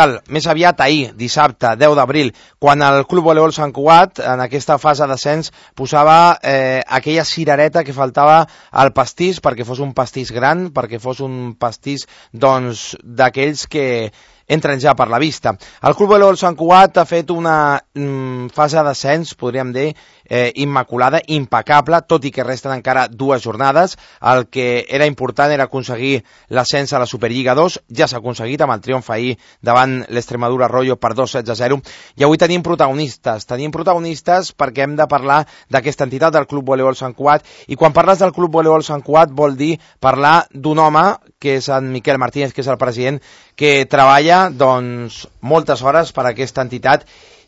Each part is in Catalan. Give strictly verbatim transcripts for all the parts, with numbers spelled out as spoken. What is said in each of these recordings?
capital, més aviat ahir, dissabte, deu d'abril, quan el Club Voleibol Sant Cugat, en aquesta fase d'ascens, posava eh, aquella cirereta que faltava al pastís perquè fos un pastís gran, perquè fos un pastís doncs d'aquells que entren ja per la vista. El Club Voleibol Sant Cugat ha fet una mm, fase d'ascens, podríem dir, eh, immaculada, impecable, tot i que resten encara dues jornades. El que era important era aconseguir l'ascens a la Superliga dos, ja s'ha aconseguit amb el triomf ahir davant l'Extremadura Arroyo per dos sets a zero, i avui tenim protagonistes, tenim protagonistes perquè hem de parlar d'aquesta entitat del Club Voleibol Sant Cugat, i quan parles del Club Voleibol Sant Cugat vol dir parlar d'un home, que és en Miquel Martínez, que és el president, que treballa doncs moltes hores per a aquesta entitat,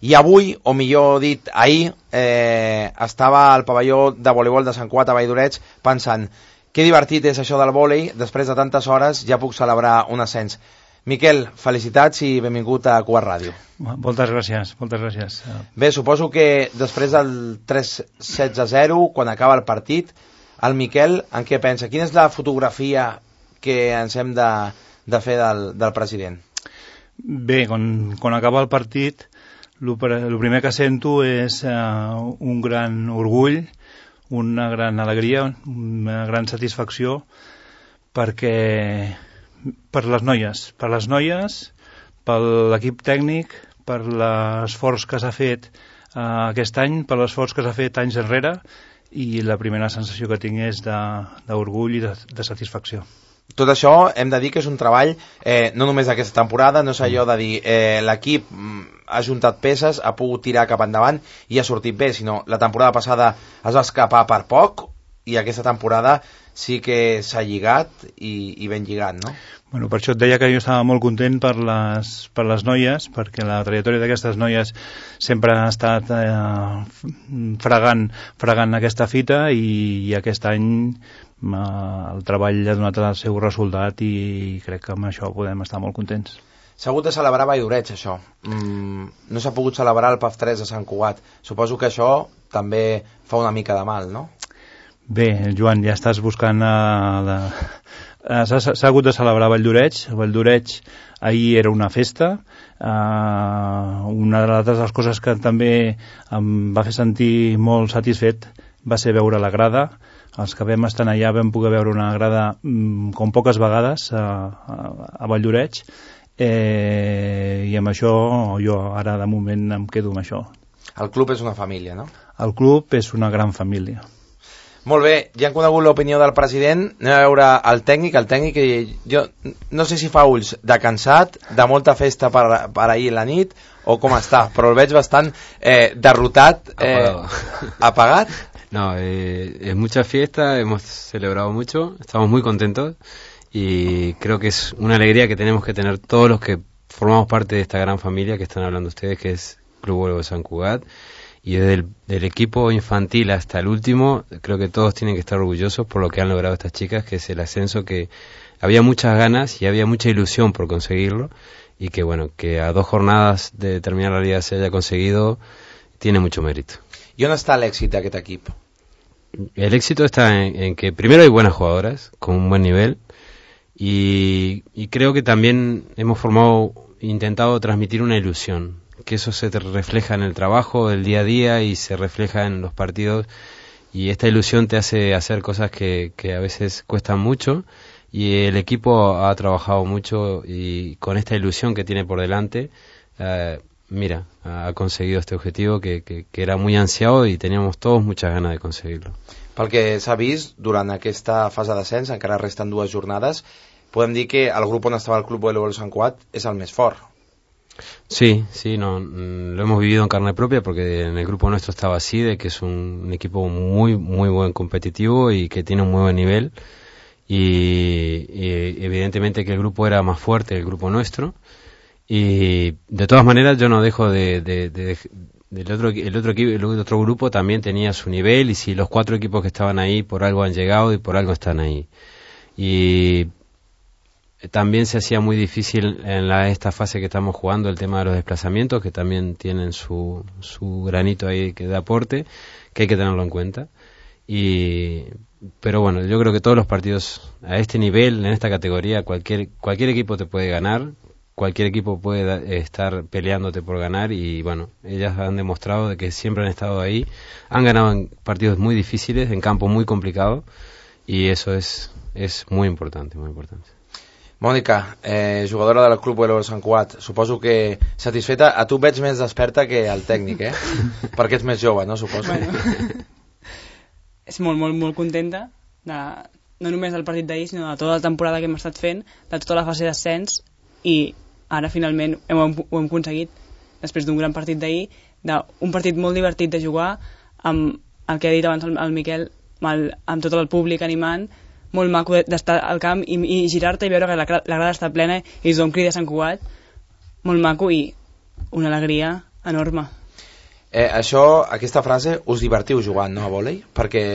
i avui, o millor dit ahir, eh, estava al pavelló de voleibol de Sant Cugat a Valldoreig pensant, que divertit és això del vòlei, després de tantes hores ja puc celebrar un ascens. Miquel, felicitats i benvingut a Cugat Ràdio. Moltes gràcies, moltes gràcies. Bé, suposo que després del tres sets a zero, quan acaba el partit, el Miquel en què pensa? Quina és la fotografia que ens hem de, de fer del, del president? Bé, quan, quan acaba el partit, el primer que sento és uh, un gran orgull, una gran alegria, una gran satisfacció, perquè per les noies, per les noies, per l'equip tècnic, per l'esforç que s'ha fet uh, aquest any, per l'esforç que s'ha fet anys enrere, i la primera sensació que tinc és d'orgull i de, de satisfacció. Tot això hem de dir que és un treball eh, no només d'aquesta temporada, no és allò de dir eh, l'equip ha juntat peces, ha pogut tirar cap endavant i ha sortit bé, sinó la temporada passada es va escapar per poc i aquesta temporada sí que s'ha lligat i, i ben lligat, no? Bueno, per això et deia que jo estava molt content per les, per les noies, perquè la trajectòria d'aquestes noies sempre ha estat eh, fregant, fregant aquesta fita, i, i aquest any eh, el treball ha donat el seu resultat i crec que amb això podem estar molt contents. S'ha hagut de celebrar a Valldoreig, això. Mm, no s'ha pogut celebrar el P A F tres a Sant Cugat. Suposo que això també fa una mica de mal, no? Bé, Joan, ja estàs buscant uh, la... S'ha, s'ha hagut de celebrar a Valldoreig. A Valldoreig ahir era una festa. Uh, una de les coses que també em va fer sentir molt satisfet va ser veure la grada. Els que vam estar allà vam poder veure una grada um, com poques vegades a, a, a Valldoreig, eh, i amb això jo ara de moment em quedo amb això. El club és una família, no? El club és una gran família. Molt bé, ja hem conegut l'opinió del president, anem a veure el tècnic, el tècnic, jo no sé si fa ulls de cansat, de molta festa per, per ahir la nit, o com està, però el veig bastant eh, derrotat, eh, apagat. No, eh, es mucha fiesta, hemos celebrado mucho, estamos muy contentos y creo que es una alegría que tenemos que tener todos los que formamos parte de esta gran familia que están hablando ustedes, que es Club Voleibol Sant Cugat. Y desde el del equipo infantil hasta el último, creo que todos tienen que estar orgullosos por lo que han logrado estas chicas, que es el ascenso, que había muchas ganas y había mucha ilusión por conseguirlo, y que bueno, que a dos jornadas de terminar la liga se haya conseguido, tiene mucho mérito. ¿Y dónde está el éxito de este equipo? El éxito está en, en que primero hay buenas jugadoras, con un buen nivel, y, y creo que también hemos formado, intentado transmitir una ilusión, que eso se refleja en el trabajo del día a día y se refleja en los partidos, y esta ilusión te hace hacer cosas que, que a veces cuestan mucho, y el equipo ha trabajado mucho y con esta ilusión que tiene por delante, eh, mira, ha conseguido este objetivo que, que, que era muy ansiado y teníamos todos muchas ganas de conseguirlo. Pel que s'ha vist, durant aquesta fase d'ascens, encara resten dues jornades, podem dir que el grup on estava el Club Voleibol Sant Cugat és el més fort. Sí, sí, no, lo hemos vivido en carne propia porque en el grupo nuestro estaba Side, que es un, un equipo muy, muy buen competitivo y que tiene un muy buen nivel, y, y evidentemente que el grupo era más fuerte, el grupo nuestro, y de todas maneras yo no dejo de, de, de, de del otro, el otro equipo, el otro grupo también tenía su nivel, y si los cuatro equipos que estaban ahí por algo han llegado y por algo están ahí, y también se hacía muy difícil en la, esta fase que estamos jugando el tema de los desplazamientos, que también tienen su, su granito ahí que de aporte, que hay que tenerlo en cuenta. Y pero bueno, yo creo que todos los partidos a este nivel, en esta categoría, cualquier cualquier equipo te puede ganar, cualquier equipo puede da, estar peleándote por ganar y bueno, ellas han demostrado de que siempre han estado ahí, han ganado en partidos muy difíciles, en campos muy complicados y eso es, es muy importante, muy importante. Mònica, eh, jugadora del Club Voleibol Sant Cugat, suposo que satisfeta. A tu veig més desperta que al tècnic, eh? Perquè ets més jove, no? Suposo. Bueno, és molt, molt, molt contenta de, no només del partit d'ahir, sinó de tota la temporada que hem estat fent, de tota la fase d'ascens, i ara finalment hem, ho hem aconseguit després d'un gran partit d'ahir, d'un partit molt divertit de jugar, amb el que ha dit abans el, el Miquel, amb, el, amb tot el públic animant, molt maco d'estar al camp i, i girar-te i veure que la, la grada està plena i tothom crida Sant Cugat, molt maco i una alegria enorme. Eh, això, aquesta frase, us divertiu jugant, no, a vòlei? Perquè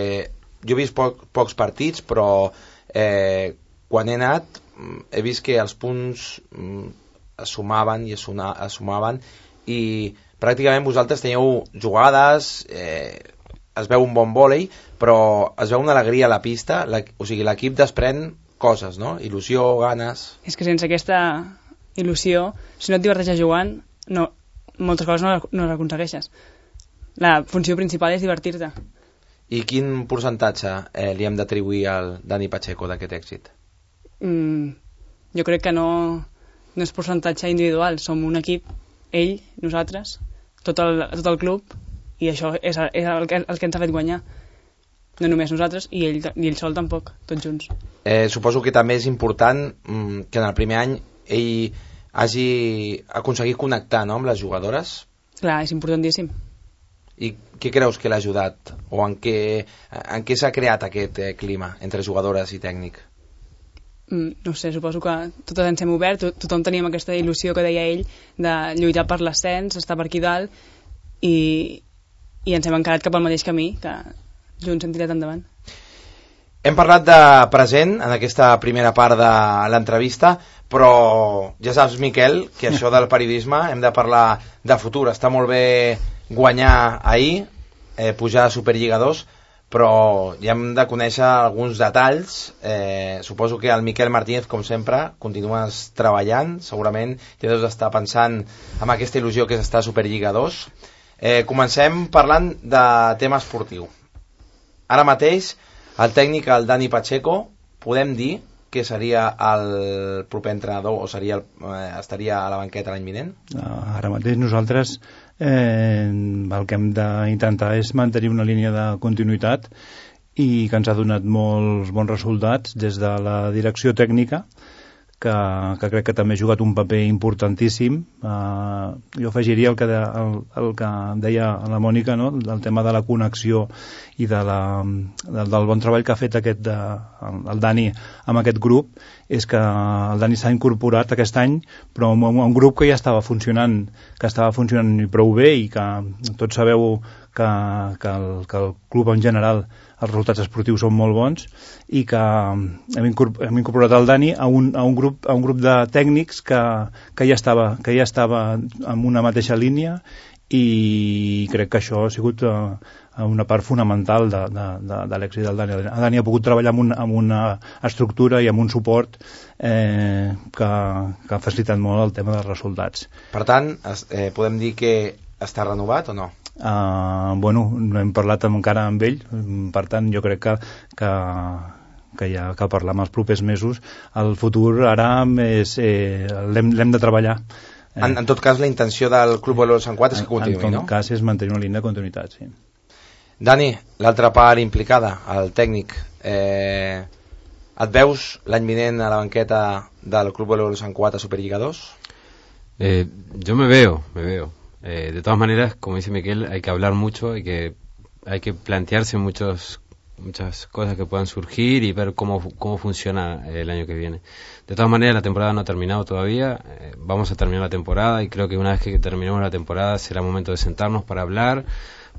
jo he vist poc, pocs partits, però eh, quan he anat he vist que els punts mm, es sumaven i es, suna, es sumaven i pràcticament vosaltres teniu jugades, eh, es veu un bon vòlei, però es veu una alegria a la pista, la, o sigui, l'equip desprèn coses, no? Il·lusió, ganes... És que sense aquesta il·lusió, si no et diverteixes jugant, no, moltes coses no, no les aconsegueixes. La funció principal és divertir-te. I quin percentatge eh, li hem d'atribuir al Dani Pacheco d'aquest èxit? Mm, jo crec que no, no és percentatge individual, som un equip, ell, nosaltres, tot el, tot el club, i això és, és el, que, el que ens ha fet guanyar. No només nosaltres, i ell, i ell sol tampoc, tots junts. Eh, suposo que també és important mm, que en el primer any ell hagi aconseguit connectar, no, amb les jugadores. Clar, és importantíssim. I què creus que l'ha ajudat? O en què, en què s'ha creat aquest eh, clima entre jugadores i tècnic? Mm, no sé, suposo que totes ens hem obert, to tothom teníem aquesta il·lusió que deia ell de lluitar per l'ascens, estar per aquí dalt, i, i ens hem encarat cap al mateix camí, que junts hem tirat endavant. Hem parlat de present en aquesta primera part de l'entrevista, però ja saps, Miquel, que això del periodisme hem de parlar de futur. Està molt bé guanyar ahir, eh, pujar a Superliga dos, però ja hem de conèixer alguns detalls. Eh, suposo que el Miquel Martínez, com sempre, continues treballant, segurament ja deus estar pensant en aquesta il·lusió que és estar a Superliga dos. Eh, comencem parlant de tema esportiu. Ara mateix, el tècnic, el Dani Pacheco, podem dir que seria el proper entrenador o seria el, eh, estaria a la banqueta l'any vinent? Ara mateix nosaltres eh, el que hem d'intentar és mantenir una línia de continuïtat i que ens ha donat molts bons resultats des de la direcció tècnica, que, que crec que també ha jugat un paper importantíssim. Uh, jo afegiria el que, de, el, el que deia la Mònica, no? El tema de la connexió i de la, del, del bon treball que ha fet aquest, de, el, el Dani amb aquest grup, és que el Dani s'ha incorporat aquest any, però amb un grup que ja estava funcionant, que estava funcionant prou bé i que tots sabeu que, que, el, que el club en general els resultats esportius són molt bons i que hem incorporat el Dani a un, a un, grup, a un grup de tècnics que, que, ja estava, que ja estava en una mateixa línia i crec que això ha sigut uh, una part fonamental de, de, de, de l'èxit del Dani. El Dani ha pogut treballar amb, un, amb una estructura i amb un suport eh, que, que ha facilitat molt el tema dels resultats. Per tant, es, eh, podem dir que està renovat o no? Uh, bueno, no hem parlat encara amb ell, per tant jo crec que, que, que hi ha que parlar amb els propers mesos. El futur ara és, eh, l'hem de treballar. Eh. En, en tot cas, la intenció del Club Voleibol Sant Cugat és que continuï, no? En tot cas és mantenir una línia de continuïtat, sí. Dani, l'altra part implicada, el tècnic, eh, et veus l'any vinent a la banqueta del Club Voleibol Sant Cugat a Superliga dos? Eh, yo me veo, me veo. Eh, de todas maneras, como dice Miquel, hay que hablar mucho, hay que, hay que plantearse muchos, muchas cosas que puedan surgir y ver cómo, cómo funciona el año que viene. De todas maneras, la temporada no ha terminado todavía, eh, vamos a terminar la temporada y creo que una vez que terminemos la temporada será momento de sentarnos para hablar,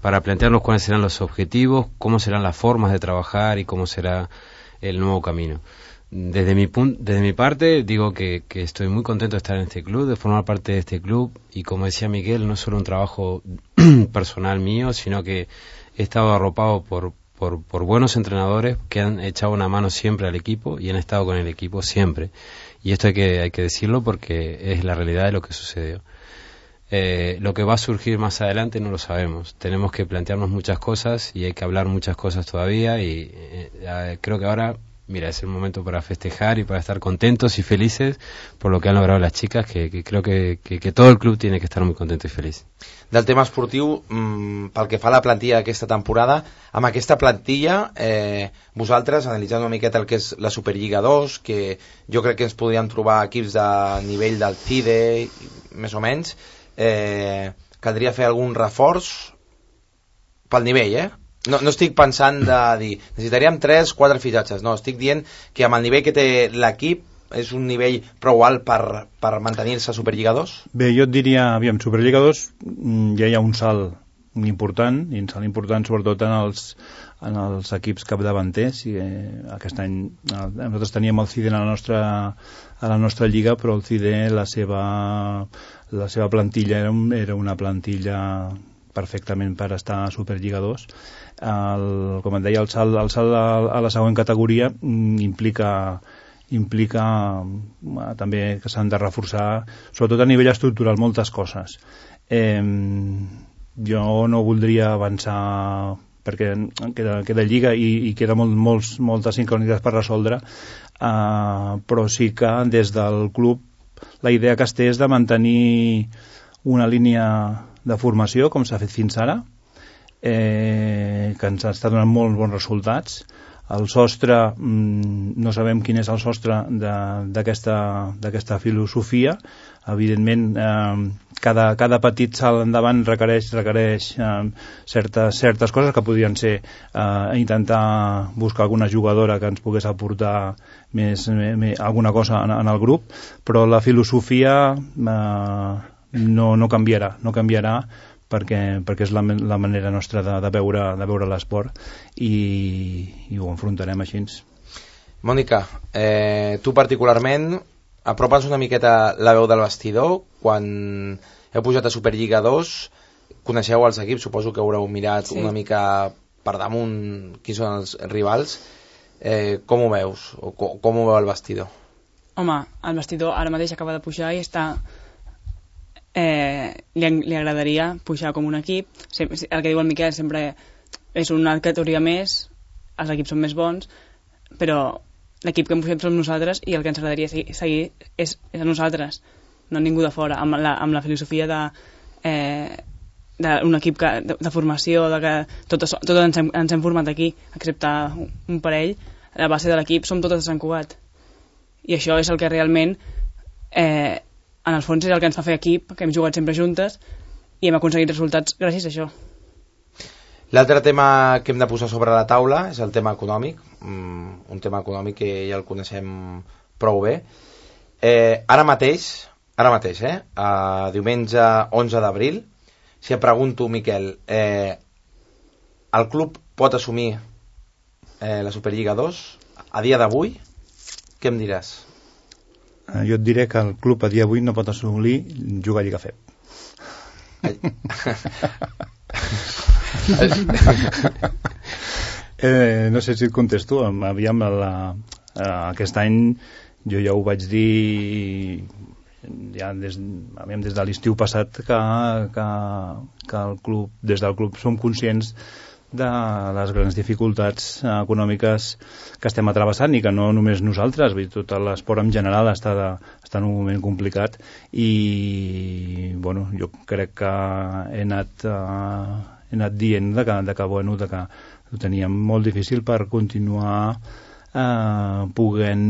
para plantearnos cuáles serán los objetivos, cómo serán las formas de trabajar y cómo será el nuevo camino. Desde mi, punto, desde mi parte digo que, que estoy muy contento de estar en este club, de formar parte de este club y como decía Miguel, no es solo un trabajo personal mío, sino que he estado arropado por, por, por buenos entrenadores que han echado una mano siempre al equipo y han estado con el equipo siempre. Y esto hay que, hay que decirlo porque es la realidad de lo que sucedió. Eh, lo que va a surgir más adelante no lo sabemos. Tenemos que plantearnos muchas cosas y hay que hablar muchas cosas todavía y eh, creo que ahora, mira, es el momento para festejar y para estar contentos y felices por lo que han logrado las chicas, que, que creo que, que, que todo el club tiene que estar muy contento i feliç. Del tema esportiu, mmm, pel que fa a la plantilla d'aquesta temporada, amb aquesta plantilla, eh, vosaltres, analitzant una miqueta el que és la Superliga dos, que jo crec que ens podríem trobar equips de nivell del C I D E, més o menys, eh, caldria fer algun reforç pel nivell, eh? No, no estic pensant de dir necessitaríem tres, quatre fitxatges, no, estic dient que amb el nivell que té l'equip és un nivell prou alt per, per mantenir-se a Superliga dos? Bé, jo et diria, aviam, Superliga dos ja hi ha un salt important, i un salt important sobretot en els, en els equips capdavanters, i eh, aquest any eh, nosaltres teníem el C I D E a la nostra, a la nostra lliga, però el C I D E la seva, la seva plantilla era, un, era una plantilla perfectament per estar a Superliga dos. El, com et deia, el salt, el salt a, a la següent categoria mm, implica implica eh, també que s'han de reforçar, sobretot a nivell estructural, moltes coses. Eh, jo no voldria avançar perquè queda, queda lliga i, i queda molt, molts, moltes incògnites per resoldre, eh, però sí que des del club la idea que es té és de mantenir una línia de formació com s'ha fet fins ara, eh, que ens està donant molt bons resultats. El sostre, mmm, no sabem quin és el sostre d'aquesta filosofia. Evidentment, eh, cada, cada petit salt endavant requereix, requereix eh, certes, certes coses que podrien ser eh, intentar buscar alguna jugadora que ens pogués aportar més, més, alguna cosa en, en el grup, però la filosofia eh, no, no canviarà, no canviarà perquè, perquè és la, la manera nostra de, de veure, de veure l'esport i, i ho enfrontarem així. Mònica, eh, tu particularment apropa'ns una miqueta la veu del vestidor. Quan heu pujat a Superliga dos, coneixeu els equips, suposo que haureu mirat sí. una mica per damunt qui són els rivals. Eh, com ho veus? O com, com ho veu el vestidor? Home, el vestidor ara mateix acaba de pujar i està... Eh, li, li agradaria pujar com un equip. Sempre, el que diu el Miquel sempre és una categoria més, els equips són més bons, però l'equip que hem pujat som nosaltres i el que ens agradaria seguir, seguir és, és a nosaltres, no ningú de fora, amb la, amb la filosofia de eh, d'un equip que, de, de formació, de que totes, totes ens, hem, ens hem format aquí, excepte un parell. La base de l'equip som totes de Sant Cugat i això és el que realment eh, en el fons és el que ens fa fer equip, que hem jugat sempre juntes i hem aconseguit resultats gràcies a això. L'altre tema que hem de posar sobre la taula és el tema econòmic, un tema econòmic que ja el coneixem prou bé. Eh, ara mateix, ara mateix, eh, a diumenge onze d'abril, si et pregunto, Miquel, eh, el club pot assumir eh, la Superliga dos a dia d'avui? Què em diràs? Jo et diré que el club a dia d'avui no pot assolir jugar a Lliga F E P. eh, no sé si et contesto. Aviam, la, aquest any jo ja ho vaig dir ja des, aviam, des de l'estiu passat que, que, que el club, des del club som conscients de les grans dificultats econòmiques que estem atrevessant i que no només nosaltres, vull dir, tot l'esport en general està, de, està en un moment complicat i bueno, jo crec que he anat, uh, he anat dient de que, de que, bueno, de que ho teníem molt difícil per continuar uh, podent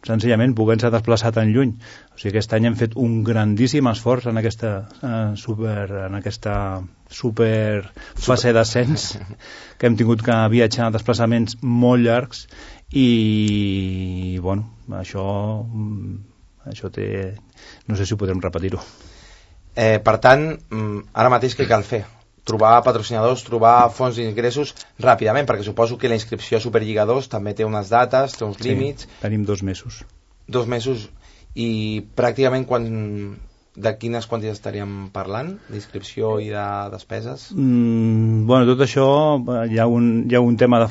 senzillament podent-se desplaçar tan lluny. O sigui, aquest any hem fet un grandíssim esforç en aquesta uh, super, en aquesta super fase d'ascens que hem tingut que viatjar desplaçaments molt llargs i bueno, això això té... no sé si ho podrem repetir-ho. Eh, per tant, ara mateix què cal fer? Trobar patrocinadors, trobar fonts d'ingressos ràpidament, perquè suposo que la inscripció a Superliga dos també té unes dates, té uns límits. Sí, tenim dos mesos. Dos mesos, i pràcticament quan de quines quantitats estaríem parlant? D'inscripció i de despeses? Mm, bueno, tot això hi ha un, hi ha un tema de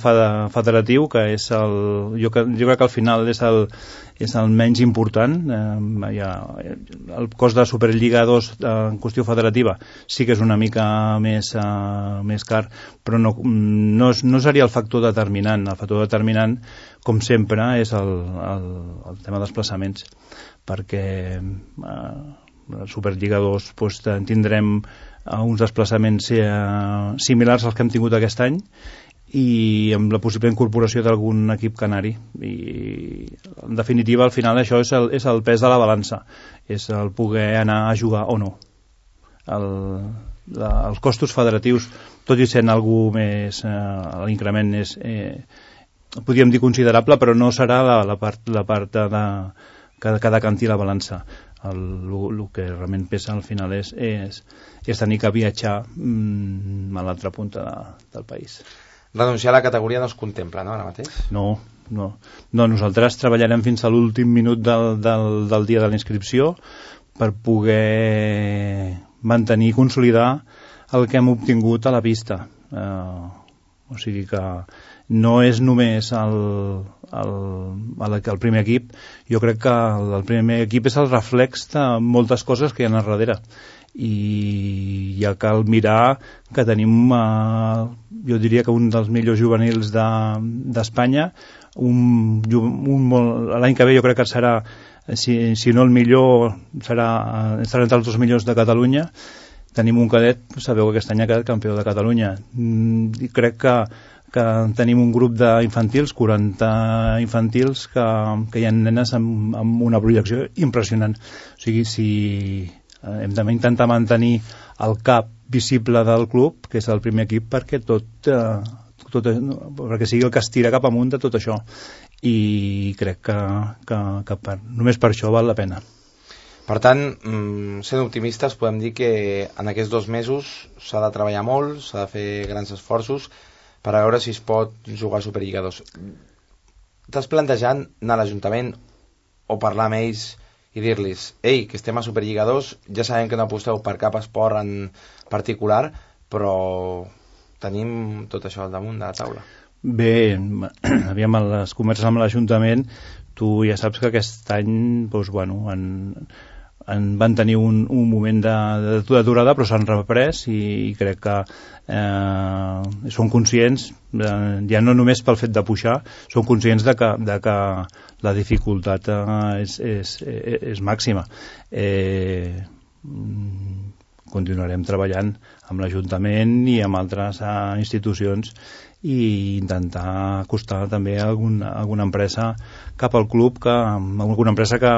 federatiu que és el, jo, jo crec que al final és el, és el menys important. Eh, hi ha, el cost de Superliga dos en qüestió federativa sí que és una mica més, uh, més car, però no, no, no seria el factor determinant. El factor determinant, com sempre, és el, el, el tema dels desplaçaments, perquè uh, la Superliga dos doncs, tindrem uh, uns desplaçaments uh, similars als que hem tingut aquest any i amb la possible incorporació d'algun equip canari, i en definitiva al final això és el, és el pes de la balança, és el poder anar a jugar o no. El, la, els costos federatius, tot i sent algú més, uh, l'increment és eh, podríem dir considerable, però no serà la, la part, la part de, que, que decanti la balança. El, el que realment pesa al final és, és, és tenir que viatjar mm, a l'altra punta de, del país. Renunciar a la categoria no es contempla, no, ara mateix? No, no. no nosaltres treballarem fins a l'últim minut del, del, del dia de la inscripció per poder mantenir i consolidar el que hem obtingut a la pista. Eh, o sigui que no és només el, el, el, el primer equip. Jo crec que el, el primer equip és el reflex de moltes coses que hi ha a darrere, i ja cal mirar que tenim eh, jo diria que un dels millors juvenils d'Espanya, de, un, un l'any que ve jo crec que serà, si, si no el millor, serà, serà entre els dos millors de Catalunya. Tenim un cadet, sabeu que aquest any ha quedat campió de Catalunya, i crec que que tenim un grup d'infantils, quaranta infantils, que, que hi ha nenes amb, amb una projecció impressionant. O sigui, si hem d'intentar mantenir el cap visible del club, que és el primer equip, perquè tot, eh, tot perquè sigui el que es tira cap amunt de tot això, i crec que, que, que per, només per això val la pena. Per tant, sent optimistes, podem dir que en aquests dos mesos s'ha de treballar molt, s'ha de fer grans esforços per a veure si es pot jugar a Superliga dos. T'has plantejat anar a l'Ajuntament o parlar amb ells i dir-los, ei, que estem a Superliga dos, ja sabem que no aposteu per cap esport en particular, però tenim tot això al damunt de la taula? Bé, aviam, les converses amb l'Ajuntament, tu ja saps que aquest any doncs, bueno, en, en van tenir un, un moment d'aturada, però s'han reprès, i, i crec que eh, són conscients, eh, ja no només pel fet de pujar, són conscients de que, de que la dificultat eh, és, és, és màxima. Eh, continuarem treballant amb l'Ajuntament i amb altres eh, institucions, i intentar acostar també alguna, alguna empresa cap al club, que, alguna empresa que,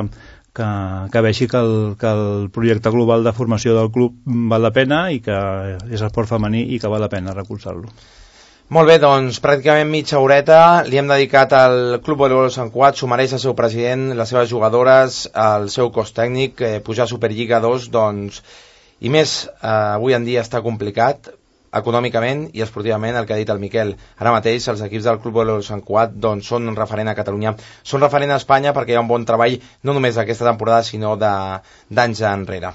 que, que vegi que el, que el projecte global de formació del club val la pena i que és esport femení i que val la pena recolzar-lo. Molt bé, doncs pràcticament mitja horeta li hem dedicat al Club Voleibol Sant Cugat. S'ho mereix el seu president, les seves jugadores, el seu cos tècnic. eh, pujar a Superliga dos, doncs, i més, eh, avui en dia està complicat econòmicament i esportivament, el que ha dit el Miquel. Ara mateix els equips del Club Voleibol Sant Cugat doncs, són un referent a Catalunya, són referent a Espanya, perquè hi ha un bon treball no només d'aquesta temporada sinó d'anys enrere.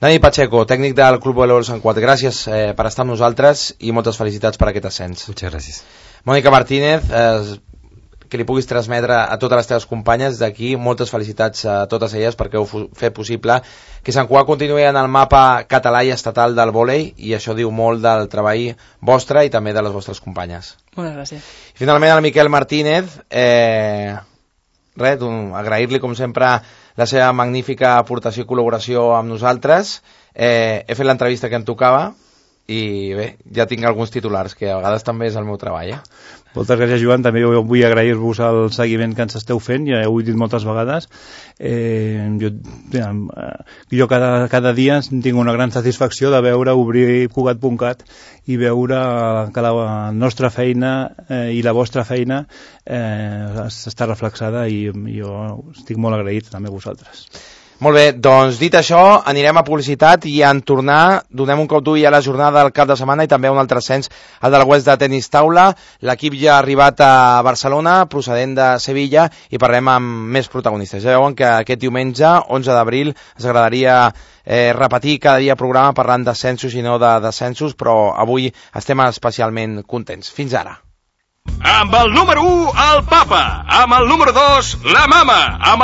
Dani Pacheco, tècnic del Club Voleibol Sant Cugat, gràcies eh, per estar amb nosaltres i moltes felicitats per aquest ascens. Muchas gracias. Mònica Martínez, eh, que li puguis transmetre a totes les teves companyes d'aquí, moltes felicitats a totes elles perquè heu fet possible que Sant Cugat continuï en el mapa català i estatal del vòlei, i això diu molt del treball vostre i també de les vostres companyes. Moltes gràcies. I finalment al Miquel Martínez, eh, res, agrair-li com sempre la seva magnífica aportació i col·laboració amb nosaltres. Eh, he fet l'entrevista que em tocava i bé, ja tinc alguns titulars, que a vegades també és el meu treball, eh? Moltes gràcies, Joan. També vull agrair-vos el seguiment que ens esteu fent, ja ho he dit moltes vegades. Eh, jo jo cada, cada dia tinc una gran satisfacció de veure obrir Cugat punt cat i veure que la nostra feina eh, i la vostra feina eh, està reflexada, i jo estic molt agraït també a vosaltres. Molt bé, doncs dit això, anirem a publicitat i en tornar donem un cop d'ull a la jornada del cap de setmana i també a un altre ascens, el del West de tenis taula. L'equip ja ha arribat a Barcelona, procedent de Sevilla, i parlem amb més protagonistes. Ja veuen que aquest diumenge, onze d'abril, ens agradaria eh, repetir cada dia programa parlant d'ascensos i no de descensos, però avui estem especialment contents. Fins ara. Amb el número u, el papa. Amb el número dos, la mama. Amb